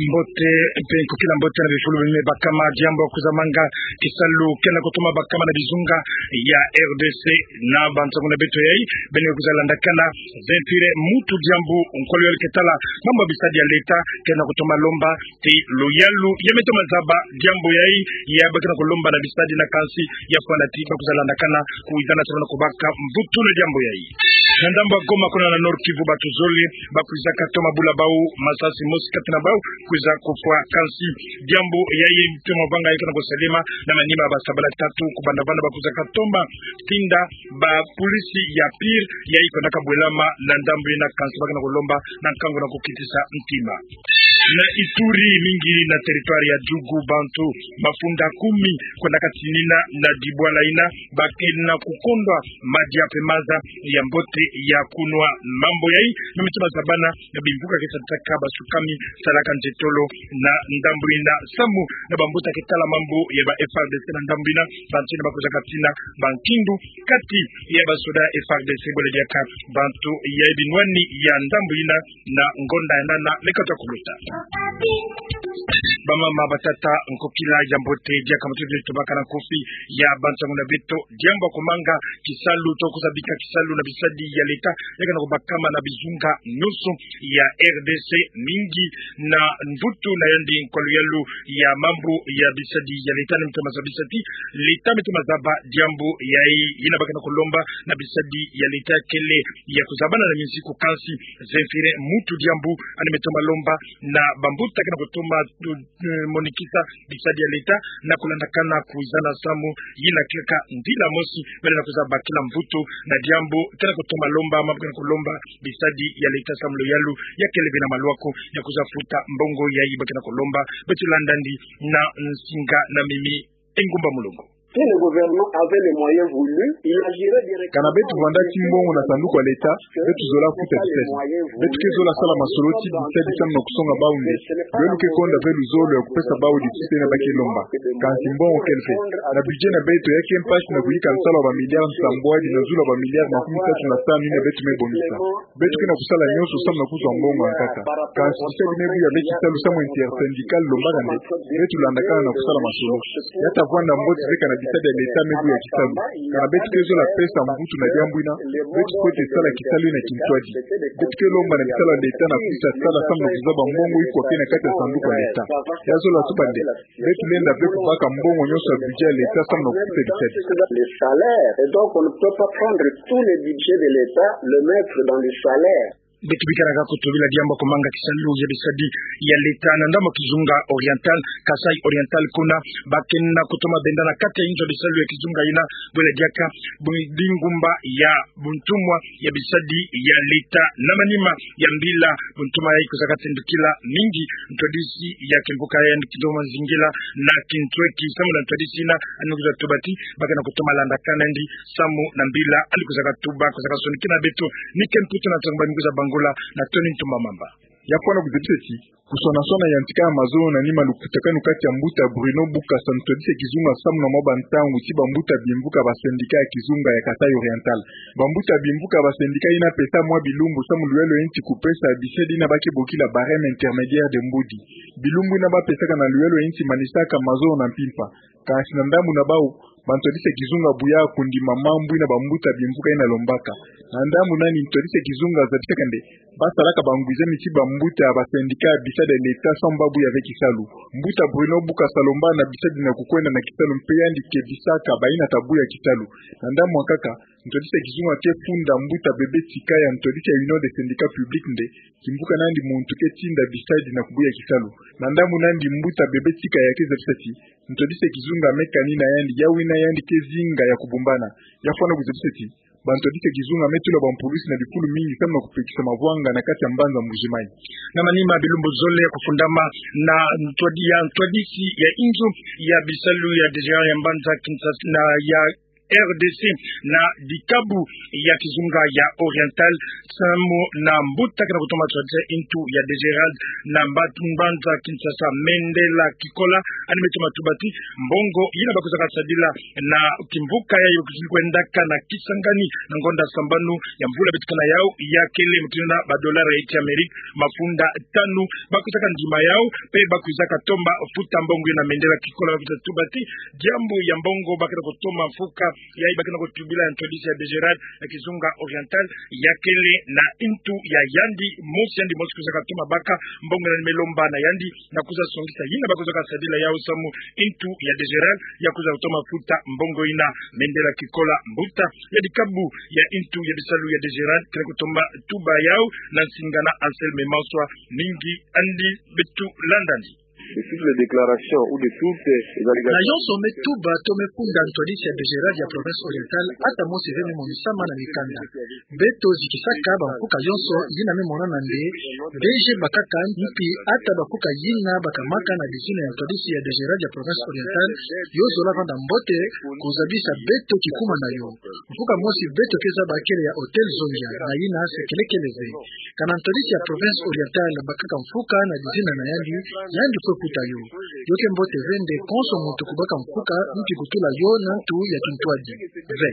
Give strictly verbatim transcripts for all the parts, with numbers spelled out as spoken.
Mbote, mpe nkokila mbote na bifulu bime bakama diambu ya kwiza manga kisalu kena kutoma bakama na bizunga ya R D C na bansangu na beto yayi, beno kwiza landakana Zemfire Mutu Diambu, nkolo yalu ke tala mambu ya bisadi ya leta, kena kutoma lomba ti luyalu ya me toma zaba diambu yayi, ya ba kena kulomba na bisadi na kansi ya fwana ti ba kwiza landakana kwizana salu na kubaka mvutu na diambu yayi. Na ndambu ya Goma kuna na Nord-Kivu, batu zole ba kwiza katoma bula bau masasi, mosi kati na bau kwiza kufwa, kansi diambu yayi mpe mavanga yeka na kusalema na manima ya ba sabala tatu kubanda vana ba kwiza katoma tinda ba polisi ya pire yayi kwenda kabwelama na ndambu yina, kansi ba kena kulomba na nkangu na kukitisa ntima. Na Ituri, mingi na territoire ya Djugu, bantu mafunda kumi kwenda katinina na dibwala yina ba kena kukondwa madia mpe maza ya mbote ya kunwa. Mambu yayi me me toma zabana na bimvuka ke sataka basukami salaka ntetolo na ndambu yina, samu na bambuta ke tala mambu ya ba F A R D C na ndambu yina, bantu yina ba kwiza katina bankindu kati ya basoda ya F A R D C, bole diaka bantu ya binwani ya ndambu yina na ngonda ya nana mekata kuluta. Bamama, batata, nkokila ya mbote, diaka mutu dieto baka na nkofi ya bansangu na beto, diambu ya kumanga kisalu to kwiza bika kisalu na bisadi ya leta yeka na kubakama na bizunga nyonso ya R D C, mingi na mvutu na yandi nkwa luyalu ya mambu ya bisadi ya leta, ni me toma zabisa ti leta me toma zaba diambu yayi. Yina ba kena kulomba na bisadi ya leta kele ya kuzabana na minsiku, kansi Zemfire Mutu Diambu yandi me toma lomba na bambuta kena kutoma, eh, monikisa bisadi ya leta na kulandakana kwizana samu yina kiaka ndila mosi bele na kwiza bakila mvutu na diambu kena kutoma lomba, mambu kena kulomba bisadi ya leta samu luyalu ya kele bena maluaku ya kwiza futa mbongo yayi ba kena kulomba. Beto landa yandi na nsinga na mimi Engumba Mulongo. Si le gouvernement avait les moyens voulus, il agirait directement. Kana beto vwanda ti mbongo na sanduku ya leta, beto zola futa bisadi. Beto ke zola sala masolo ti bisadi samu na kusonga bau nde luyalu ke konda ve luzolo ya kupesa bau difisite yina ba ke lomba. Kansi mbongo kele ve. Na budget na beto, ya ke mpasi na kuyika nsalu ya ba milliards nsambwadi na zulu ya ba milliards makumi tatu na tanu yina beto me bongisa. Beto ke na kusala nyonso samu na kuzwa mbongo ya nkaka. Kansi bisadi me buya ve kisalu samu intersyndical lombaka nde, beto landakana na kusala masolo. Ya ta vwanda mbote ve kana bisadi ya leta me buya kisalu. Kana beto ke zola pesa mvutu na diambu yina, beto fwete sala kisalu yina kintwadi. Beto ke lomba na bisalu ya leta na kusa sala samu na kuzaba mbongo ikwa ke na kati ya sanduku ya leta. Ya zola tuba nde, beto lenda ve kubaka mbongo nyonso ya budget ya leta samu na kufuta bisadi. Les salaires. Et donc, on ne peut pas prendre tous les budgets de l'État, le mettre dans les salaires. Beto bikana kaka kutu bila diambu ya kumanga kisalu ya bisadi ya leta na ndambu ya kizunga Oriental, Kasaï Oriental, kuna ba kena kutoma benda na kati ya inzo ya bisalu ya kizunga yina, bwela diaka bu-, bingumba ya buntumwa ya bisadi ya leta. Na manima ya mbila buntumwa yayi kwiza katindikila mingi ntwadisi ya kimvuka yandi Kindombo Mazingila na kintweki, samu na ntwadisi yina yandi kwiza tuba ti ba kena kutoma landakana na yandi samu na mbila yandi kwiza katuba, kwiza kasonikina beto Mike Mputu na nsangu ba mi kwiza bangula na Tony Ntumba Mamba. Ya fwana kuzabisa ti kusonasona yantika ya mazono na nima lukutakanu kati ya mbuta Bruno Bukasa, ntwadisi ya kizunga, samu na mwa bantangu ti bambuta bimvuka ba syndicat ya kizunga ya Kasaï Oriental. Bambuta bimvuka ba syndicat yina pesa mwa bilumbu samu luyalu ya nti kupesa bisadi yina ba ke bokila barème intermédiaire de mbudi. Bilumbu yina ba pesaka na luyalu ya nti manisaka mazono na mpimpa. Kansi na ndambu na bau, bantwadisi ya kizunga buya kundima mambu yina bambuta bimvuka yina lombaka. Na ndambu nani ntwadisi ya kizunga zabisaka nde ba salaka bangwizami ti bambuta ya ba syndicat ya bisadi ya leta samu ba buya ve kisalu. Mbuta Bruno Bukasa alomba na bisadi na kukwenda na kisalu mpe yandi kebisaka bayina ta buya kisalu. Na ndambu ya nkaka, ntwadisi ya kizunga ke funda mbuta Bebe Tsikaya, ntwadisi ya Union des syndicats publics nde kimvuka na yandi muntu ke tinda bisadi na kubuya kisalu. Na ndambu nani mbuta Bebe Tsikaya ke zabisa ti ntwadisi ya kizunga me kani na yandi, yawu yina yandi ke zinga ya kubumbana. Ya fwana kuzabisa ti bantwadisi ya kizunga me tula bampulusi na bifulu mingi samu na kupekisa mavwanga na kati ya mbanza Mbuji-Mayi. Na manima bilumbu zole ya kufundama na ntwadi-, ya ntwadisi ya inzo ya bisalu ya D G A ya mbanza Kinshasa na ya R D C, na dikabu ya kizunga ya Oriental, samu na mbuta kena kutoma ntwadisi ya intu ya Dégerad, na mba-, mbanza Kinshasa, Mendela Kikola, ani me toma tuba ti mbongo yina bakwizaka sadila na kimvuka yayi kwendaka na Kisangani na ngonda sambanu ya mvula beto kena yawu, ya kele mutindu na ba dollars ya Amérique mafunda tanu. Bakwizaka ndima yawu, mpe bakwizaka toma futa mbongo yina. Mendela Kikola bakwiza tuba ti diambu ya mbongo ba kena kutoma mfuka yayi ba kena kutubila ya ntwadisi ya Dégerad ya kizunga Oriental, ya kele na intu ya yandi mosi, yandi mosi kwizaka toma baka mbongo yina, ni me lomba na yandi na kwiza songisa yina bakwizaka sadila yawu samu intu ya Dégerad ya kwiza kutoma futa mbongo yina. Mendela Kikola, mbuta ya dikabu ya intu ya bisalu ya Dégerad, kena kutoma tuba yawu na nsinga na Anselme Manswa. Mingi andi, beto landa andi. De toutes les déclarations ou de toutes les allégations. Na yonso me tuba to me funda ntwadisi ya Dégerad ya province Orientale, ata mosi ve me monisama na mikanda. Beto zikisaka bamfuka yonso yina me monana nde B G bakaka, mpi ata bamfuka yina bakamaka na dizina ya ntwadisi ya Dégerad ya province Orientale, yo zola vanda mbote kuzabisa beto kikuma na yo. Mfuka mosi beto ke zaba kele ya Hôtel Zonza, na yina se kelekele ve. Kana ntwadisi ya province Orientale bakaka mfuka na dizina na yandi, yandi kwe futa yo. Yo ke mbote ve nde konso muntu kubaka mfuka, mpi kutula yo na ntu ya kintwadi ve.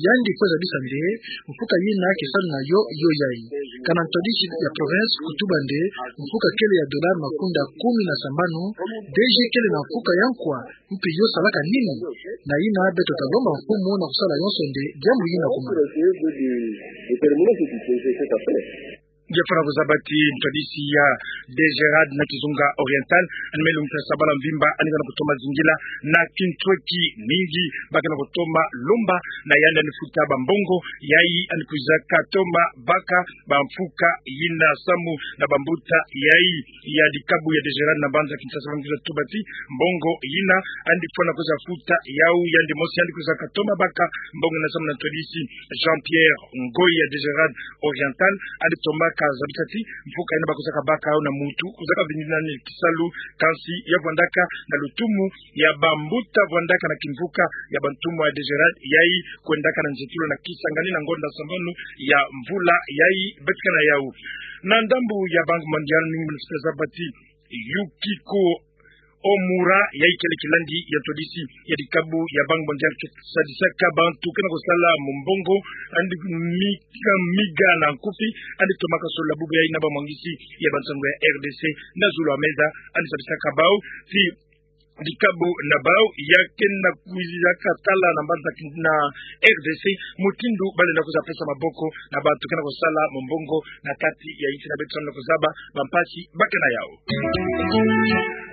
Yandi kwe zabisa nde mfuka yina ke salu na yo, yo yayi. Kana ntwadisi ya province kutuba nde mfuka kele ya dollars mafunda kumi na sambanu, D G kele na mfuka ya nkwa, mpi yo salaka nini? Na yina beto talomba mfumu na kusala yonso nde diambu yina kuma. Nge fwana kuzaba ti ntwadisi ya Dégerad na kizunga Orientale, ani me lungisa sabala mvimba, ani kena kutoma zingila na kintweki mingi, ba kena kutoma lomba na yandi ani futa bambongo yayi ani kwizaka toma baka bamfuka yina samu na bambuta yayi ya dikabu ya Dégerad na mbanza Kinshasa, ba kwiza tuba ti mbongo yina ani fwana kwiza futa yawu, yandi mosi yandi kwizaka toma baka mbongo yina samu na ntwadisi Jean-Pierre Ngoyi ya Dégerad Orientale, ani tomaka zabisa ti mfuka yina bakwizaka baka yawu na muntu kwizaka vindi nani kisalu, kansi ya vwandaka na lutumu ya bambuta vwandaka na kimvuka ya bantumwa ya Dégerad yayi kwendaka na nzietolo na Kisangani na ngonda sambanu ya mvula yayi beto kena yawu. Na ndambu ya Banque Mondiale, mingi me lungisa zaba ti Yukiko Omura, yayi kele kilandi ya ntwadisi ya dikabu ya Banque Mondiale, ke sadisaka bantu kena kusala mumbongo, ani miga, miga na nkufi, ani tomaka solola bubu yayi na bamwangisi ya bansangu ya R D C na zulu ya meza, ani sadisaka bawu ti dikabu na bawu ya kena kwizaka tala na mbanza Kin-, na R D C, mutindu ba lenda kwiza pesa maboko na bantu kena kusala mumbongo na kati ya insi na beto, samu na kuzaba bampasi ba kena yawu.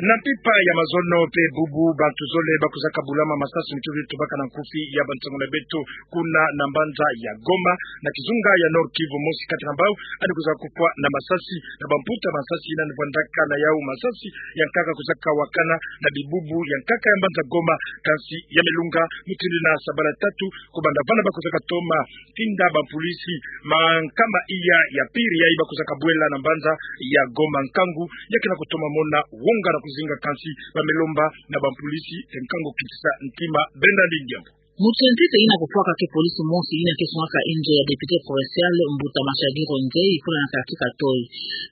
Na mpimpa ya mazono mpe bubu, bantu zole bakwizaka bulama masasi mutindu tubaka na nkufi ya bansangu na beto kuna na mbanza ya Goma, na kizunga ya Nord-Kivu. Mosi kati na bawu ani kwizaka kufwa na masasi na bamputa masasi yina ani vwandaka na yawu. Masasi ya nkaka kwizaka wakana na bibubu ya nkaka ya mbanza Goma, kansi ya me lunga mutindu na sabala tatu, kubanda vana bakwizaka toma tinda bapolisi mankama iya ya piri yayi bakwizaka bwela na mbanza ya Goma. Nkangu ya kena kutoma mona wonga na kuzinga, kansi ba me lomba na bapolisi te nkangu kitisa ntima. Benda Ndingembo. Muntu ya ntete yina kufwaka ke polisi mosi yina ke sungaka inzo ya député provincial, mbuta Mashadi Ronzei, kuna na quartier Katoi.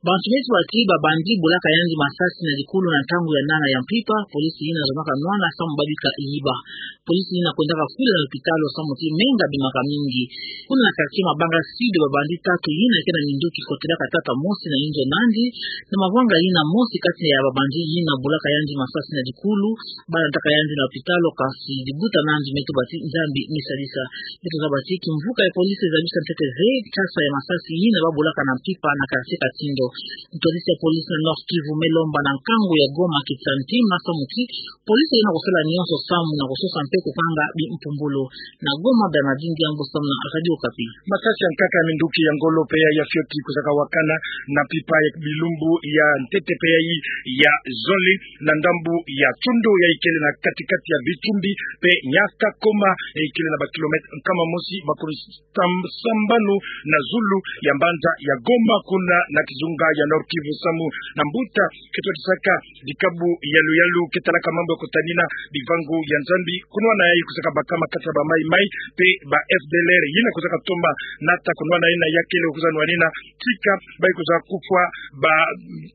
Bantu me tuba ti ba bandit bolaka yandi masasi na dikulu na ntangu ya nana ya mpimpa, polisi yina zomaka nwana samu ba bika yiba. Polisi yina kwendaka kule na lopitalo samu ti menga bimaka mingi. Kuna na quartier Mabanga Sud, ba bandit tatu yina ke na minduki kotelaka tata mosi na inzo na yandi, na mavanga yina mosi kati ya ba bandit yina bolaka yandi masasi na dikulu, ba landaka yandi na lopitalo, kansi dibuta na yandi me tuba ti Nzambi me sadisa. Beto zaba ti kimvuka ya polisi zabisa ntete ve nkasa ya masasi yina ba bolaka na mpimpa na quartier Katindo. Ntwadisi ya polisi na Nord-Kivu me lomba na nkangu ya Goma kitisa ntima samu ti polisi yina kusala nyonso samu na kusosa mpe kukanga bimpumbulu. Na Goma, Bernardin Ndiyambu samu na Radio Okapi. Masasi ya nkaka ya minduki ya ngolo mpe ya fioti kwizaka wakana na mpimpa ya bilumbu ya ntete mpe yayi ya zole na ndambu ya Tsoundou yayi kele na kati-kati ya Vitumbi mpe Niankakoma. Goma, eh, ikele na ba kilomètre nkama mosi makumi sam-, sambanu na zulu ya mbanza ya Goma, kuna na kizunga ya Nord-Kivu, samu na mbuta ketwadisaka dikabu ya luyalu ketalaka mambu ya kutanina bivangu ya Nzambi, kunwana yayi kwizaka bakama kati ya ba Mai Mai pe ba F D L R, yina kwizaka toma nata kunwana yina ya kele kwiza nwanina tika bayi kwiza kufwa ba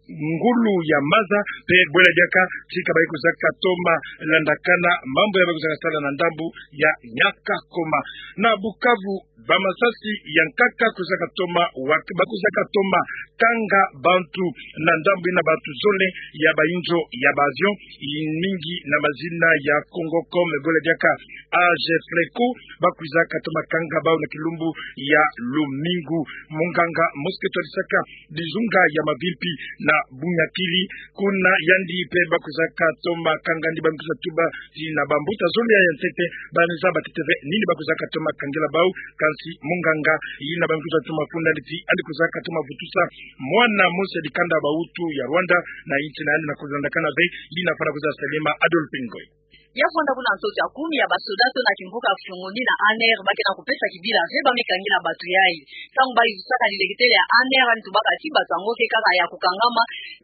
ngulu ya maza, pe bwela diaka tika bayi kwizaka toma landakana mambu yayi bayi kwizaka sala na ndambu ya Nyakakoma. Na Bukavu, ba masasi ya nkaka kwizaka toma wak-, ba kwizaka toma kanga bantu na ndambu yina, bantu zole ya ba inzo ya ba avion, mingi na mazina ya Congocom, bwela diaka Agefreco, ba kwizaka toma kanga bau na kilumbu ya lumingu. Munganga mosi ketwadisaka dizunga ya mavimpi na Bunyakiri, kuna yandi pe ba kwizaka toma kanga yandi, ba kwiza tuba ti na ba mbuta zole ya ntete ba ni za ba teteve nini ba kwizaka toma kangela bau. Kansi munganga yina ba kwiza toma funda yandi ti yandi kwizaka toma vutusa mwana mosi ya dikanda ba Hutu ya Rwanda na insi na yandi na kulandakana ve. Yina fwana kwiza salama Adolphe Ngoy. Ya fwanda kuna ntoto ya kumi ya ba soda to na kimvuka ya kifiongo ni na A N R ba ke na kupesa kibila ve ba me kangela batu yayi. Ntangu bayi vusaka dileketele ya A N R, yandi tubaka ti batu yango ke kaka ya kukangama,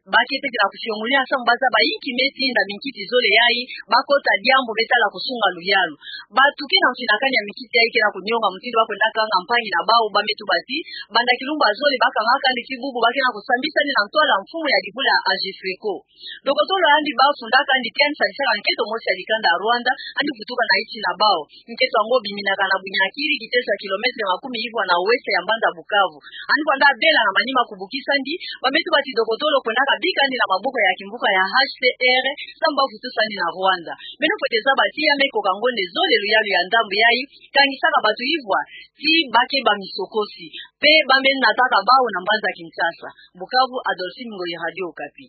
ba ke teke na kufiongola ntangu ba zaba inki me tinda minkiti zole yayi ba kota diambu me tala kusunga luyalu. Batu ke na mfinakani ya minkiti yayi ke na kunionga mutindu ba kwenda kanga mpangi na bau, ba me tuba ti banda kilumbu ya zole ba kangaka yandi ti bubu ba ke na kusambisa yandi na ntwala mfumu ya dibula Agefreco. Dokotolo yandi ba fundaka yandi ti yandi salisaka nkento mosi ya dikanda ya Rwanda, yandi vutuka na insi na bau. Nkento yango biminaka na Bunyakiri, kiteso ya kilomètre makumi ivwa na ouest ya mbanza Bukavu. Yandi kwenda bela na manima kubukisa yandi, ba me tuba ti dokotolo kwendaka bika yandi na maboko ya kimvuka ya H C R, samu ba vutusa yandi na Rwanda. Beno fwete zaba ti ya me koka ngonde zole luyalu ya ndambu yayi, kangisaka batu ivwa ti ba ke ba misokosi, pe ba me nataka bau na mbanza Kinshasa. Bukavu, Adolphine Ngoyi, Radio Okapi.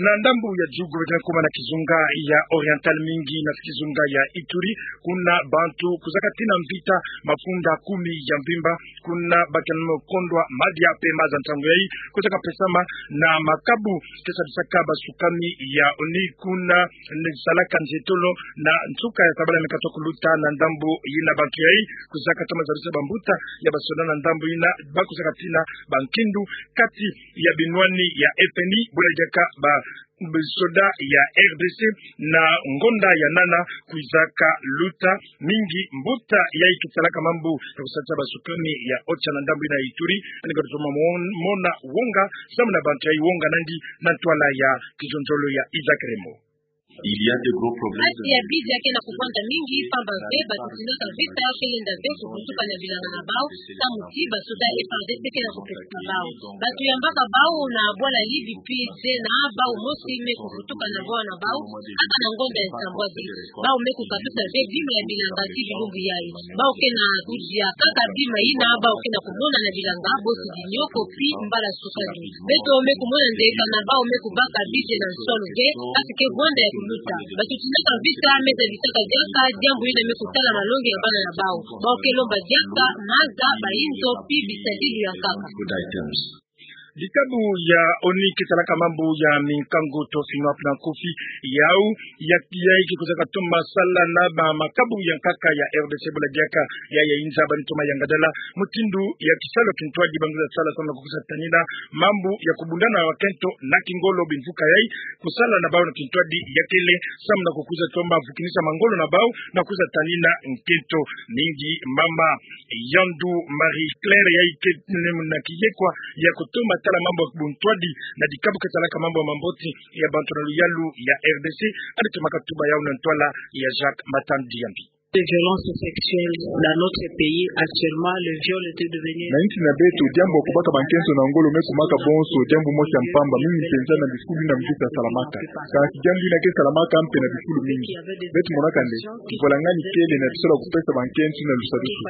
Na ndambu ya jugu, beti na kuma na kizunga ya Oriental, mingi na kizunga ya Ituri, kuna bantu kwizaka tina mvita mafunda kumi ya mvimba, kuna ba ke na kondwa madia pe maza. Ntangu yayi kwizaka pesama na makabu kesadisaka ba sukami ya ONU, kuna ni salaka nzietolo na nsuka ya sabala me katuka kuluta. Na ndambu yina, bantu yayi kwizaka toma zabisa ba mbuta ya ba soda na ndambu yina, ba kwizaka tina ba nkindu kati ya binwani ya F N I, bwela diaka ba soda ya R D C, na ngonda ya nana kwizaka luta. Mingi mbuta yayi ke salaka mambu ya kusadisa ba sukami ya OCHA na ndambu yina ya Ituri, yandi kotoma mon-, mona wonga, samu na bantu yayi wonga nandi na ntwala ya kizonzolo ya Isaac Remo. Il y a de gros problèmes. Mpasi ya bizi ya ke na kuvwanda mingi, pamba ve batu tinaka vita ke lenda ve kuvutuka na bilanga na bau, samu ti ba soda F A R D C ke na kupesisa bau. Batu yambaka bau na bwala Libye, pi se na bau mosi me kuvutuka na bwala na bau, kaka na ngonda ya nsambwadi. Bau me kukatusa ve bima ya bilanga ti bilumbu yayi. Bau ke na kudia kaka bima yina bau ke na kumona na bilanga, bosi dinioko pi mbala sukali. Beto me kumona nde kana bau me kubaka bizi na nsolo ve, kasi ke vwanda ya kuluta. Batu tinaka vita me tadisaka diaka diambu yina me kutala malongi ya bana na bau. Bau ke lomba diaka maza, ba inzo, pi bisadulu ya nkaka. Dikabu ya ONU ke salaka mambu ya minkangu to FINUAP na nkufi, yau ya, yayi ke kwizaka toma sala na ba makabu ya nkaka ya R D C, bwela diaka ya, ya inza ba ni toma yangadala mutindu ya kisalu kintwadi ba ngwiza sala samu na kukwiza tanina mambu ya kubundana na bakento na kingolo. Bimvuka yayi kusala na bau na kintwadi ya kele samu na kukwiza toma vukinisa mangolo na bau na kwiza tanina nkento. Mingi mama Yandu Marie Claire, yayi ke na kiyekwa ya kutoma tala mambu ya buntwadi na dikabu ke salaka mambu ya mamboti ya bantu na luyalu ya R D C, yandi toma katuba yau na ntwala ya Jacques Matandi Yambi. Les violences sexuelles dans notre pays, actuellement, le viol est devenu... Na insi na beto, diambu ya kubaka bankento na ngolo me kumaka bonso diambu mosi ya mpamba, mingi mpenza na bifulu yina mvita salamaka. Kasi diambu yina ke salamaka mpe na bifulu mingi. Beto monaka nde kipwalangani kele na bisalu ya kupesa bankento yina lusadusu.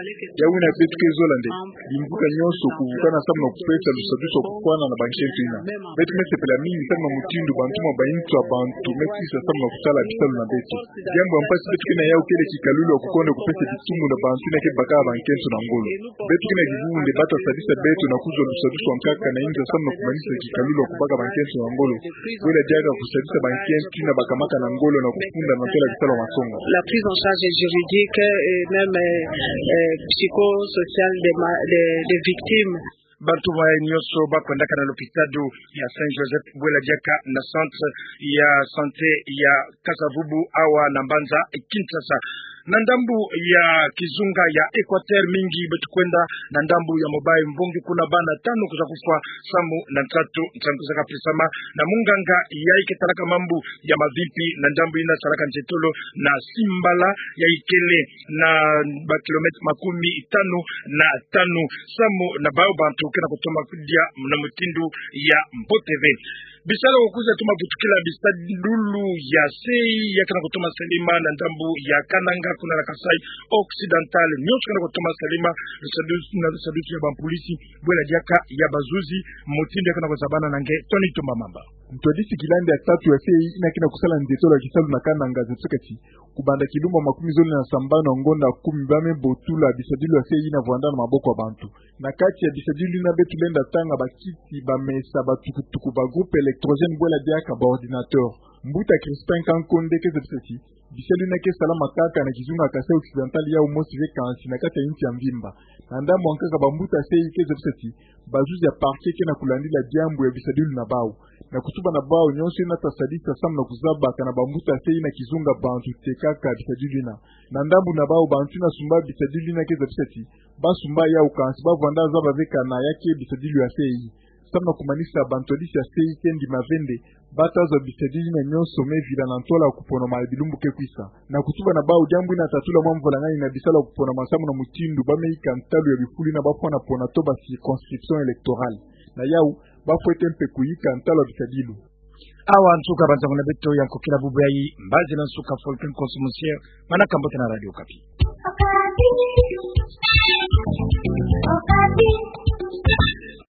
Yau yina beto ke zola nde bimvuka nyonso kuvukana samu na kupesa lusadusu ya kufwana na bankento yina. Beto me sepela mingi samu na mutindu bantu ma bainzo ya bantu me sisa samu na kusala bisalu na beto. Diambu ya mpasi beto ke na yau kele kikalulu Kukonde kupesa kitumu na bantu ina ke baka bankento na ngolo. Beto kina kivundu nde bata sadisa beto na kuzwa lusadusu ankaka na inza samu na kumanisa kikalulu ya kubaka bankento na ngolo. Bwela diaka kusadisa bankento ina bakamaka na ngolo na kufunda na ntola kisalu ya masonga. La prise en charge juridique et même, euh, euh, psychosociale des ma-, des, des victimes. Bantu bayi nyonso bakwendaka na lopitalo ya Saint Joseph, bwela diaka na centre ya santé ya Kasa-Vubu awa na mbanza Kinshasa. Na ndambu ya kizunga ya Equateur, mingi beto kwenda na ndambu ya Mobay, mbongi kuna bana tanu kwiza kufwa samu na nsatu nsangu kwiza pesama na munganga yayi ke talaka mambu ya mavimpi na ndambu ina salaka nzietolo na Simbala, yayi kele na ba kilomètre makumi tanu na tanu. Samu na bawu bantu ke na kutoma kudia na mutindu ya mbote ve. Bisalu ya kwiza toma vutukila bisadulu ya sei ya ke na kutoma salama na ndambu ya Kananga kuna na Kasaï Occidental, nyonso ke na kutoma salama na lusadusu, na lusadusu ya bampolisi, bwela diaka ya bazuzi, mutindu ya ke na kuzabana na nge Tony Tumba Mamba. Ntwadisi kilandi ya tatu ya sei ina ke na kusala nzietolo ya kisalu na Kananga zepsaka ti, kubanda kilumbu makumi zole na sambanu ya ngonda kumi, ba me botula bisadilu ya sei ina vwanda na maboko ya bantu. Na kati ya bisadilu ina beto lenda tanga bakiti, bamesa, batukutuku, ba groupe électrogène, bwela diaka ba ordinateur. Mbuta Crispin Kankonde ke zepsaka ti, bisadilu ina ke salama kaka na kizunga Kasaï Occidental, yawu mosi ve kansi na kati ya insi ya mvimba. Na ndambu ankaka, bambuta sei ke zepsaka ti, bazuzi ya parquet ke na kulandila diambu ya bisadilu na bawu. Na kutuba na bawu, nyonso ina ta sadisa samu na kuzaba kana bambuta sei ina kizunga bantu te kaka bisadilu ina. Na ndambu na bawu, bantu ina sumba bisadilu ina ke zepsaka ti, ba sumba yawu kansi ba vwanda zaba ve kana ya ke bisadilu ya sei. Samu na kumanisa, bantwadisi ya sei ke ndima ve nde ba ta zwa bisadilu ina nyonso me vila na ntola ya kuponama ya bilumbu ke kwisa. Na kutuba na bawu, diambu ina tatula mwa mvwalangani na bisalu ya kuponama samu na mutindu ba me yika ntalu ya bifulu ina ba fwana pona to ba circonscription électorale. Na yawu, ba fwete mpe kuyika ntalu ya bisadilu. Awa nsuka banzango na beto ya nkokila bubu yayi. Mbazi na nsuka, Folke Nkonso Monsieur, manaka mbote na Radio Okapi.